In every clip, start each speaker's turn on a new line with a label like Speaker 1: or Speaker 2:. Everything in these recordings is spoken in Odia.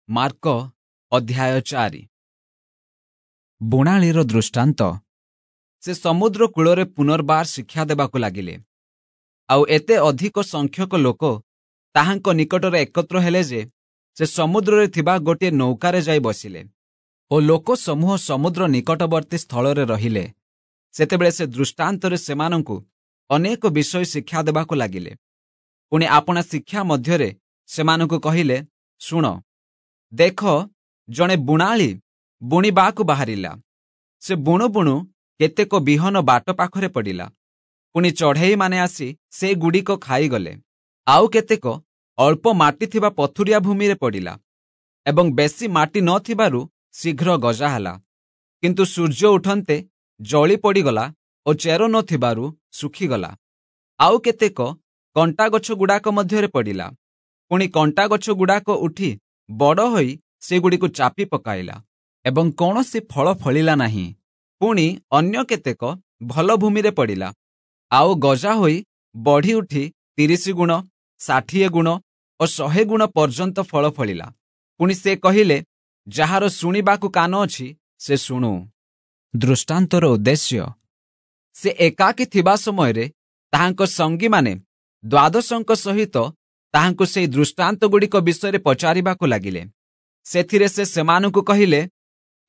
Speaker 1: ମାର୍କ ଅଧ୍ୟାୟ 4। ବୁଣାଳିର ଦୃଷ୍ଟାନ୍ତ। ସେ ସମୁଦ୍ର କୂଳରେ ପୁନର୍ବାର ଶିକ୍ଷା ଦେବାକୁ ଲାଗିଲେ, ଆଉ ଏତେ ଅଧିକ ସଂଖ୍ୟକ ଲୋକ ତାହାଙ୍କ ନିକଟରେ ଏକତ୍ର ହେଲେ ଯେ ସେ ସମୁଦ୍ରରେ ଥିବା ଗୋଟିଏ ନୌକାରେ ଯାଇ ବସିଲେ ଓ ଲୋକ ସମୂହ ସମୁଦ୍ର ନିକଟବର୍ତ୍ତୀ ସ୍ଥଳରେ ରହିଲେ। ସେତେବେଳେ ସେ ଦୃଷ୍ଟାନ୍ତରେ ସେମାନଙ୍କୁ ଅନେକ ବିଷୟ ଶିକ୍ଷା ଦେବାକୁ ଲାଗିଲେ। ପୁଣି ଆପଣା ଶିକ୍ଷା ମଧ୍ୟରେ ସେମାନଙ୍କୁ କହିଲେ, ଶୁଣ, ଦେଖ, ଜଣେ ବୁଣାଳି ବୁଣିବାକୁ ବାହାରିଲା। ସେ ବୁଣୁ ବୁଣୁ କେତେକ ବିହନ ବାଟ ପାଖରେ ପଡ଼ିଲା। ପୁଣି ଚଢ଼େଇମାନେ ଆସି ସେଗୁଡ଼ିକ ଖାଇଗଲେ। ଆଉ କେତେକ ଅଳ୍ପ ମାଟି ଥିବା ପଥୁରିଆ ଭୂମିରେ ପଡ଼ିଲା ଏବଂ ବେଶୀ ମାଟି ନଥିବାରୁ ଶୀଘ୍ର ଗଜା ହେଲା। କିନ୍ତୁ ସୂର୍ଯ୍ୟ ଉଠନ୍ତେ ଜଳି ପଡ଼ିଗଲା ଓ ଚେର ନଥିବାରୁ ଶୁଖିଗଲା। ଆଉ କେତେକ କଣ୍ଟାଗଛଗୁଡ଼ାକ ମଧ୍ୟରେ ପଡ଼ିଲା। ପୁଣି କଣ୍ଟାଗଛଗୁଡ଼ାକ ଉଠି ବଡ଼ ହୋଇ ସେଗୁଡ଼ିକୁ ଚାପି ପକାଇଲା ଏବଂ କୌଣସି ଫଳ ଫଳିଲା ନାହିଁ। ପୁଣି ଅନ୍ୟ କେତେକ ଭଲ ଭୂମିରେ ପଡ଼ିଲା, ଆଉ ଗଜା ହୋଇ ବଢ଼ି ଉଠି 30 ଗୁଣ, 60 ଗୁଣ ଓ 100 ଗୁଣ ପର୍ଯ୍ୟନ୍ତ ଫଳ ଫଳିଲା। ପୁଣି ସେ କହିଲେ, ଯାହାର ଶୁଣିବାକୁ କାନ ଅଛି ସେ ଶୁଣୁ। ଦୃଷ୍ଟାନ୍ତର ଉଦ୍ଦେଶ୍ୟ। ସେ ଏକାକୀ ଥିବା ସମୟରେ ତାହାଙ୍କ ସଙ୍ଗୀମାନେ ଦ୍ୱାଦଶଙ୍କ ସହିତ ତାହାଙ୍କୁ ସେହି ଦୃଷ୍ଟାନ୍ତଗୁଡ଼ିକ ବିଷୟରେ ପଚାରିବାକୁ ଲାଗିଲେ। ସେଥିରେ ସେ ସେମାନଙ୍କୁ କହିଲେ,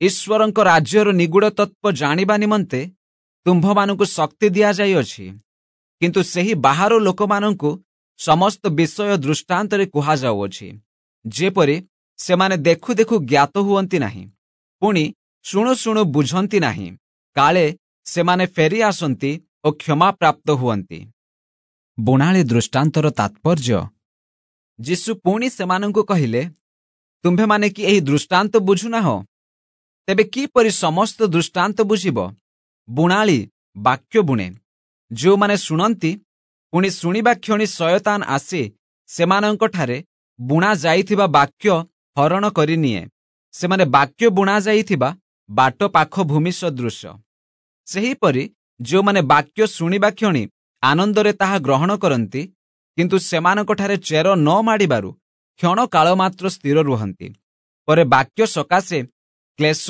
Speaker 1: ଈଶ୍ୱରଙ୍କ ରାଜ୍ୟର ନିଗୂଢ଼ ତତ୍ତ୍ୱ ଜାଣିବା ନିମନ୍ତେ ତୁମ୍ଭମାନଙ୍କୁ ଶକ୍ତି ଦିଆଯାଇଅଛି, କିନ୍ତୁ ସେହି ବାହାର ଲୋକମାନଙ୍କୁ ସମସ୍ତ ବିଷୟ ଦୃଷ୍ଟାନ୍ତରେ କୁହାଯାଉଅଛି, ଯେପରି ସେମାନେ ଦେଖୁ ଦେଖୁ ଜ୍ଞାତ ହୁଅନ୍ତି ନାହିଁ, ପୁଣି ଶୁଣୁ ଶୁଣୁ ବୁଝନ୍ତି ନାହିଁ, କାଳେ ସେମାନେ ଫେରି ଆସନ୍ତି ଓ କ୍ଷମା ପ୍ରାପ୍ତ ହୁଅନ୍ତି। ବୁଣାଳି ଦୃଷ୍ଟାନ୍ତର ତାତ୍ପର୍ଯ୍ୟ। ଯୀଶୁ ପୁଣି ସେମାନଙ୍କୁ କହିଲେ, ତୁମ୍ଭେମାନେ କି ଏହି ଦୃଷ୍ଟାନ୍ତ ବୁଝୁନାହଁ? ତେବେ କିପରି ସମସ୍ତ ଦୃଷ୍ଟାନ୍ତ ବୁଝିବ? ବୁଣାଳି ବାକ୍ୟ ବୁଣେ। ଯେଉଁମାନେ ଶୁଣନ୍ତି, ପୁଣି ଶୁଣିବା କ୍ଷଣି ଶୟତାନ ଆସି ସେମାନଙ୍କଠାରେ ବୁଣା ଯାଇଥିବା ବାକ୍ୟ ହରଣ କରିନିଏ। ସେମାନେ ବାକ୍ୟ ବୁଣା ଯାଇଥିବା ବାଟ ପାଖ ଭୂମି ସଦୃଶ। ସେହିପରି ଯେଉଁମାନେ ବାକ୍ୟ ଶୁଣିବା କ୍ଷଣି ଆନନ୍ଦରେ ତାହା ଗ୍ରହଣ କରନ୍ତି, କିନ୍ତୁ ସେମାନଙ୍କଠାରେ ଚେର ନ ମାଡ଼ିବାରୁ କ୍ଷଣକାଳ ମାତ୍ର ସ୍ଥିର ରୁହନ୍ତି। ପରେ ବାକ୍ୟ ସକାଶେ କ୍ଲେଶ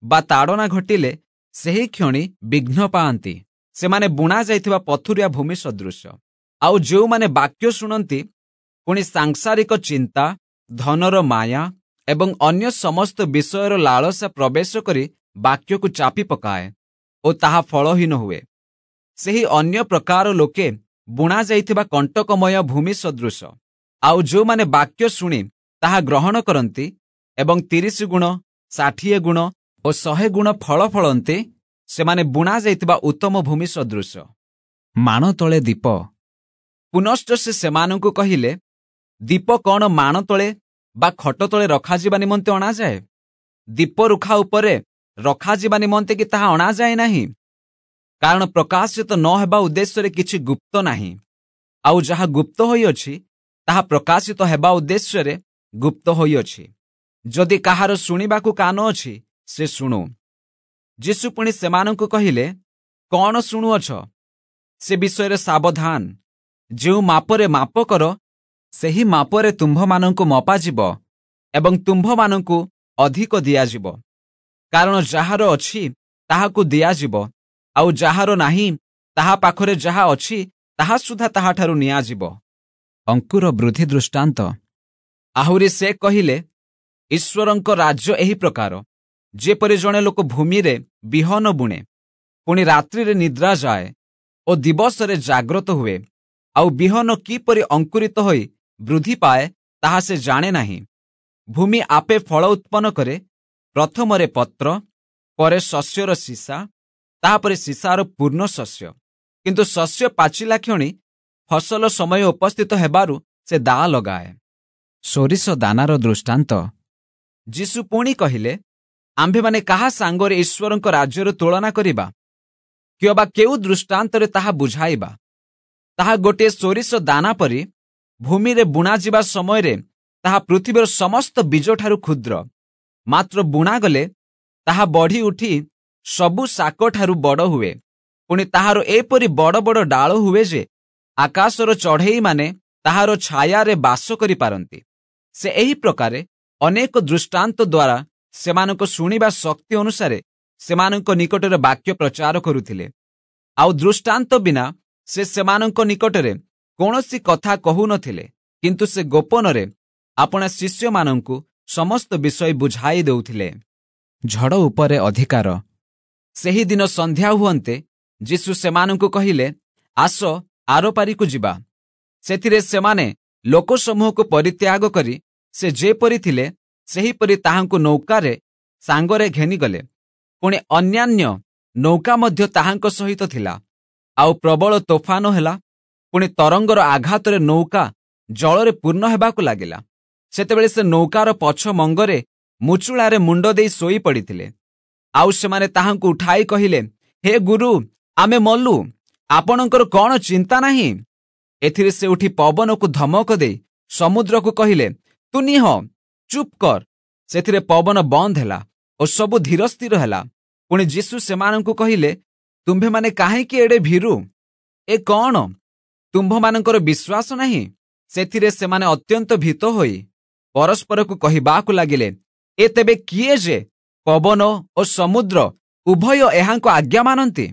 Speaker 1: ବା ତାଡ଼ନା ଘଟିଲେ ସେହି କ୍ଷଣି ବିଘ୍ନ ପାଆନ୍ତି। ସେମାନେ ବୁଣା ଯାଇଥିବା ପଥୁରିଆ ଭୂମି ସଦୃଶ। ଆଉ ଯେଉଁମାନେ ବାକ୍ୟ ଶୁଣନ୍ତି, ପୁଣି ସାଂସାରିକ ଚିନ୍ତା, ଧନର ମାୟା ଏବଂ ଅନ୍ୟ ସମସ୍ତ ବିଷୟର ଲାଳସା ପ୍ରବେଶ କରି ବାକ୍ୟକୁ ଚାପି ପକାଏ ଓ ତାହା ଫଳହୀନ ହୁଏ। ସେହି ଅନ୍ୟ ପ୍ରକାର ଲୋକେ ବୁଣା ଯାଇଥିବା କଣ୍ଟକମୟ ଭୂମି ସଦୃଶ। ଆଉ ଯେଉଁମାନେ ବାକ୍ୟ ଶୁଣି ତାହା ଗ୍ରହଣ କରନ୍ତି ଏବଂ 30 ଗୁଣ, 60 ଗୁଣ ଓ 100 ଗୁଣ ଫଳ ଫଳନ୍ତି, ସେମାନେ ବୁଣା ଯାଇଥିବା ଉତ୍ତମ ଭୂମି ସଦୃଶ। ମାଣ ତଳେ ଦୀପ। ପୁନଶ୍ଚ ସେ ସେମାନଙ୍କୁ କହିଲେ, ଦୀପ କ'ଣ ମାଣ ତଳେ ବା ଖଟ ତଳେ ରଖାଯିବା ନିମନ୍ତେ ଅଣାଯାଏ? ଦୀପ ରୁଖା ଉପରେ ରଖାଯିବା ନିମନ୍ତେ କି ତାହା ଅଣାଯାଏ ନାହିଁ? କାରଣ ପ୍ରକାଶିତ ନ ହେବା ଉଦ୍ଦେଶ୍ୟରେ କିଛି ଗୁପ୍ତ ନାହିଁ, ଆଉ ଯାହା ଗୁପ୍ତ ହୋଇଅଛି ତାହା ପ୍ରକାଶିତ ହେବା ଉଦ୍ଦେଶ୍ୟରେ ଗୁପ୍ତ ହୋଇଅଛି। ଯଦି କାହାର ଶୁଣିବାକୁ କାନ ଅଛି ସେ ଶୁଣୁ। ଯୀଶୁ ପୁଣି ସେମାନଙ୍କୁ କହିଲେ, କ'ଣ ଶୁଣୁଅଛ ସେ ବିଷୟରେ ସାବଧାନ। ଯେଉଁ ମାପରେ ମାପ କର, ସେହି ମାପରେ ତୁମ୍ଭମାନଙ୍କୁ ମପାଯିବ ଏବଂ ତୁମ୍ଭମାନଙ୍କୁ ଅଧିକ ଦିଆଯିବ। କାରଣ ଯାହାର ଅଛି ତାହାକୁ ଦିଆଯିବ, ଆଉ ଯାହାର ନାହିଁ ତାହା ପାଖରେ ଯାହା ଅଛି ତାହା ସୁଦ୍ଧା ତାହାଠାରୁ ନିଆଯିବ। ଅଙ୍କୁର ବୃଦ୍ଧି ଦୃଷ୍ଟାନ୍ତ। ଆହୁରି ସେ କହିଲେ, ଈଶ୍ୱରଙ୍କ ରାଜ୍ୟ ଏହି ପ୍ରକାର, ଯେପରି ଜଣେ ଲୋକ ଭୂମିରେ ବିହନ ବୁଣେ, ପୁଣି ରାତ୍ରିରେ ନିଦ୍ରା ଯାଏ ଓ ଦିବସରେ ଜାଗ୍ରତ ହୁଏ, ଆଉ ବିହନ କିପରି ଅଙ୍କୁରିତ ହୋଇ ବୃଦ୍ଧି ପାଏ ତାହା ସେ ଜାଣେ ନାହିଁ। ଭୂମି ଆପେ ଫଳ ଉତ୍ପନ୍ନ କରେ, ପ୍ରଥମରେ ପତ୍ର, ପରେ ଶସ୍ୟର ସୀସା, ତାହାପରେ ସୀସାର ପୂର୍ଣ୍ଣ ଶସ୍ୟ। କିନ୍ତୁ ଶସ୍ୟ ପାଚିଲା କ୍ଷଣି ଫସଲ ସମୟ ଉପସ୍ଥିତ ହେବାରୁ ସେ ଦାଆ ଲଗାଏ। ସୋରିଷ ଦାନାର ଦୃଷ୍ଟାନ୍ତ। ଯୀଶୁ ପୁଣି କହିଲେ, ଆମ୍ଭେମାନେ କାହା ସାଙ୍ଗରେ ଈଶ୍ୱରଙ୍କ ରାଜ୍ୟର ତୁଳନା କରିବା, କିମ୍ବା କେଉଁ ଦୃଷ୍ଟାନ୍ତରେ ତାହା ବୁଝାଇବା? ତାହା ଗୋଟିଏ ସୋରିଷ ଦାନା ପରି ଭୂମିରେ ବୁଣାଯିବା ସମୟରେ ତାହା ପୃଥିବୀର ସମସ୍ତ ବୀଜଠାରୁ କ୍ଷୁଦ୍ର, ମାତ୍ର ବୁଣାଗଲେ ତାହା ବଢ଼ି ଉଠି ସବୁ ଶାକଠାରୁ ବଡ଼ ହୁଏ। ପୁଣି ତାହାର ଏପରି ବଡ଼ ବଡ଼ ଡାଳ ହୁଏ ଯେ ଆକାଶର ଚଢ଼େଇମାନେ ତାହାର ଛାୟାରେ ବାସ କରିପାରନ୍ତି। ସେ ଏହି ପ୍ରକାରେ ଅନେକ ଦୃଷ୍ଟାନ୍ତ ଦ୍ୱାରା ସେମାନଙ୍କ ଶୁଣିବା ଶକ୍ତି ଅନୁସାରେ ସେମାନଙ୍କ ନିକଟରେ ବାକ୍ୟ ପ୍ରଚାର କରୁଥିଲେ। ଆଉ ଦୃଷ୍ଟାନ୍ତ ବିନା ସେ ସେମାନଙ୍କ ନିକଟରେ କୌଣସି କଥା କହୁନଥିଲେ, କିନ୍ତୁ ସେ ଗୋପନରେ ଆପଣା ଶିଷ୍ୟମାନଙ୍କୁ ସମସ୍ତ ବିଷୟ ବୁଝାଇ ଦେଉଥିଲେ। ଝଡ଼ ଉପରେ ଅଧିକାର। ସେହିଦିନ ସନ୍ଧ୍ୟା ହୁଅନ୍ତେ ଯୀଶୁ ସେମାନଙ୍କୁ କହିଲେ, ଆସ ଆରପାରିକୁ ଯିବା। ସେଥିରେ ସେମାନେ ଲୋକସମୂହକୁ ପରିତ୍ୟାଗ କରି ସେ ଯେପରି ଥିଲେ ସେହିପରି ତାହାଙ୍କୁ ନୌକାରେ ସାଙ୍ଗରେ ଘେନିଗଲେ। ପୁଣି ଅନ୍ୟାନ୍ୟ ନୌକା ମଧ୍ୟ ତାହାଙ୍କ ସହିତ ଥିଲା। ଆଉ ପ୍ରବଳ ତୋଫାନ ହେଲା, ପୁଣି ତରଙ୍ଗର ଆଘାତରେ ନୌକା ଜଳରେ ପୂର୍ଣ୍ଣ ହେବାକୁ ଲାଗିଲା। ସେତେବେଳେ ସେ ନୌକାର ପଛ ମଙ୍ଗରେ ମୁଚୁଳାରେ ମୁଣ୍ଡ ଦେଇ ଶୋଇ ପଡ଼ିଥିଲେ। ଆଉ ସେମାନେ ତାହାଙ୍କୁ ଉଠାଇ କହିଲେ, ହେ ଗୁରୁ, ଆମେ ମଲୁ, ଆପଣଙ୍କର କ'ଣ ଚିନ୍ତା ନାହିଁ? ଏଥିରେ ସେ ଉଠି ପବନକୁ ଧମକ ଦେଇ ସମୁଦ୍ରକୁ କହିଲେ, ତୁ ନିହ, ଚୁପ୍ କର। ସେଥିରେ ପବନ ବନ୍ଦ ହେଲା ଓ ସବୁ ଧୀର ସ୍ଥିର ହେଲା। ପୁଣି ଯୀଶୁ ସେମାନଙ୍କୁ କହିଲେ, ତୁମ୍ଭେମାନେ କାହିଁକି ଏଡ଼େ ଭୀରୁ? ଏ କ'ଣ, ତୁମ୍ଭମାନଙ୍କର ବିଶ୍ୱାସ ନାହିଁ? ସେଥିରେ ସେମାନେ ଅତ୍ୟନ୍ତ ଭୀତ ହୋଇ ପରସ୍ପରକୁ କହିବାକୁ ଲାଗିଲେ, ଏ ତେବେ କିଏ ଯେ ପବନ ଓ ସମୁଦ୍ର ଉଭୟ ଏହାଙ୍କ ଆଜ୍ଞା ମାନନ୍ତି?